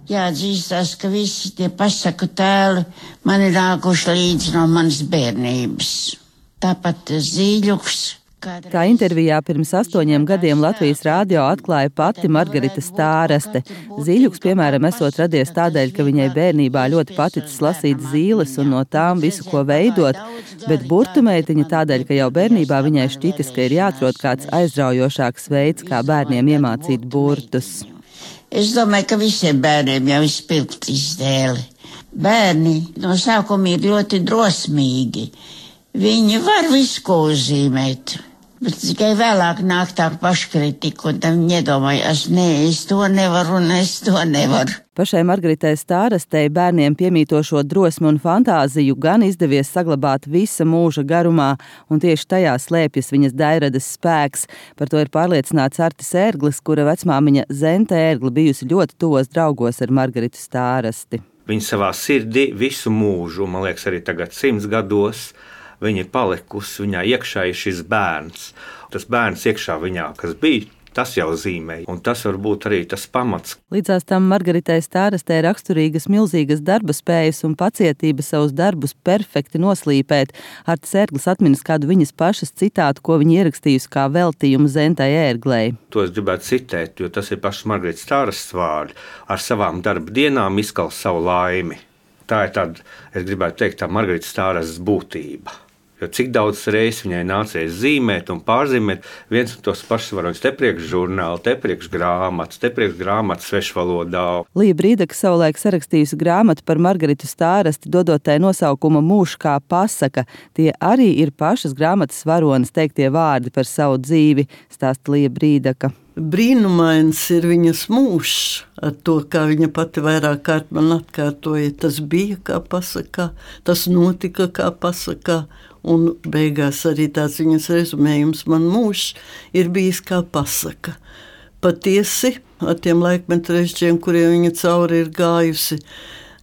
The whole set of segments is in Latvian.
Jāatzīstās, ka visi tie pasaku tēli man ir nākuši līdzi no manas bērnības. Tāpat Zīļuks. Kā intervijā pirms 8 gadiem Latvijas rādio atklāja pati Margarita Stāraste. Zīļuks, piemēram, esot radies tādēļ, ka viņai bērnībā ļoti paticis lasīt zīles un no tām visu ko veidot, bet burtu meitiņa tādēļ, ka jau bērnībā viņai šķitis, ka ir jāatrod kāds aizraujošāks veids, kā bērniem iemācīt burtus. Es domāju, ka visiem bērniem jau ir spilgti izdēli. Bērni no sākuma ir ļoti drosmīgi. Viņi var visu ko uzzīmēt. Bet tikai vēlāk nāk tā paškritika, un tam viņi iedomājas, es to nevaru, un es to nevaru. Pašai Margaritai Stārastei bērniem piemītošo drosmi un fantāziju gan izdevies saglabāt visa mūža garumā, un tieši tajā slēpjas viņas dairades spēks. Par to ir pārliecināts Artis Ērglis, kura vecmāmiņa Zente Ērgli bijusi ļoti tuvos draugos ar Margaritu Stārasti. Viņa savā sirdī visu mūžu, man liekas arī tagad 100 gados, viņa ir palikusi, viņā iekšā ir šis bērns. Tas bērns iekšā viņā, kas bija, tas jau zīmē, un tas var būt arī tas pamats. Līdzās tam Margaritai Stārastei raksturīgas milzīgas darba spējas un pacietība savus darbus perfekti noslīpēt. Artis Ērglis atminas kādu viņas pašas citātu, ko viņa ierakstījusi kā veltījumu Zentai Ērglei. To es gribētu citēt, jo tas ir pašas Margaritas Stārastes vārdi. Ar savām darba dienām izkals savu laimi. Tā ir tāda, es gribētu teikt, tā Margaritas Stārastes būtība. Jo cik daudz reizes viņai nācies zīmēt un pārzīmēt viens un tos pašus varoņus, te priekš žurnāli, te priekš grāmatas svešvalodā. Lija Brīdaka savulaik sarakstījusi grāmatu par Margaritu Stārasti, dodot tai nosaukumu Mūžs kā pasaka. Tie arī ir pašas grāmatas varonas teiktie vārdi par savu dzīvi, stāsta Lija Brīdaka. Brīnumains ir viņas mūžs, ar to, kā viņa pati vairāk kārt man atkārtoja. Tas bija kā pasakā, tas notika kā pasakā, un beigās arī tāds viņas rezumējums: man mūžs ir bijis kā pasaka. Patiesi, ar tiem laikmetu režģiem, kuriem viņa cauri ir gājusi,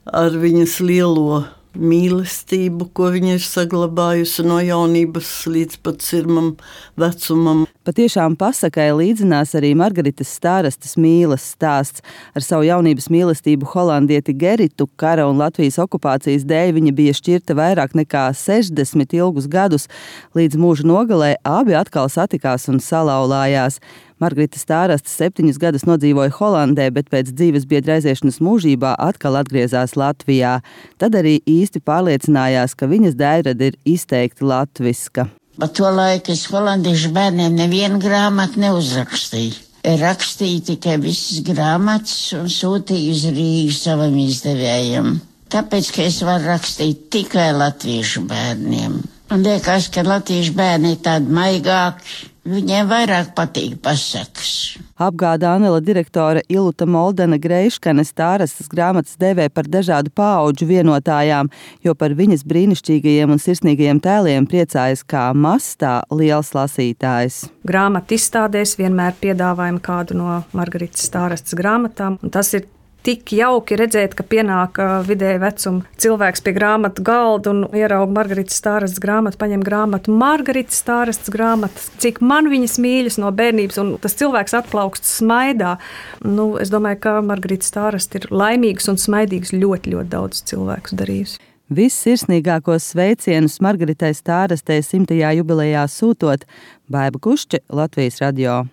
ar viņas lielo mīlestību, ko viņa ir saglabājusi no jaunības līdz pat sirmam vecumam. Patiešām pasakai līdzinās arī Margaritas Stārastes mīles stāsts. Ar savu jaunības mīlestību holandieti Geritu kara un Latvijas okupācijas dēļ viņa bija šķirta vairāk nekā 60 ilgus gadus. Līdz mūža nogalē abi atkal satikās un salauzās. Margarita Stāraste 7 gadus nodzīvoja Holandē, bet pēc dzīves biedra aiziešanas mūžībā atkal atgriezās Latvijā. Tad arī īsti pārliecinājās, ka viņas dairade ir izteikti latviska. Pa to laiku es holandiešu bērniem nevienu grāmatu neuzrakstīju. Rakstīju tikai visas grāmatas un sūtīju uz Rīgu savam izdevējam. Tāpēc, ka es varu rakstīt tikai latviešu bērniem. Un liekas, ka latviešu bērni ir tādi maigāki. Viņiem vairāk patīk pasakas. Apgāda Anela direktore Iluta Moldena Greiškane Stārastes grāmatas dēvē par dažādu paudžu vienotājām, jo par viņas brīnišķīgajiem un sirsnīgajiem tēliem priecājas kā mazs, tā liels lasītājs. Grāmatu izstādēs vienmēr piedāvājam kādu no Margaritas Stārastes grāmatām, un tas ir tik jauki redzēt, ka pienāk vidēja vecuma cilvēks pie grāmatu galda un ierauga Margaritas Stārastes grāmatu, paņem grāmatu Margaritas Stārastes grāmatas, cik man viņas mīļas no bērnības, un tas cilvēks atplaukst smaidā. Es domāju, ka Margarita Stāraste ir laimīgs un smaidīgs ļoti, ļoti daudz cilvēkus darījusi. Vissirsnīgākos sveicienus Margaritai Stārastei 100. jubilejā sūtot Baiba Kušče, Latvijas radio.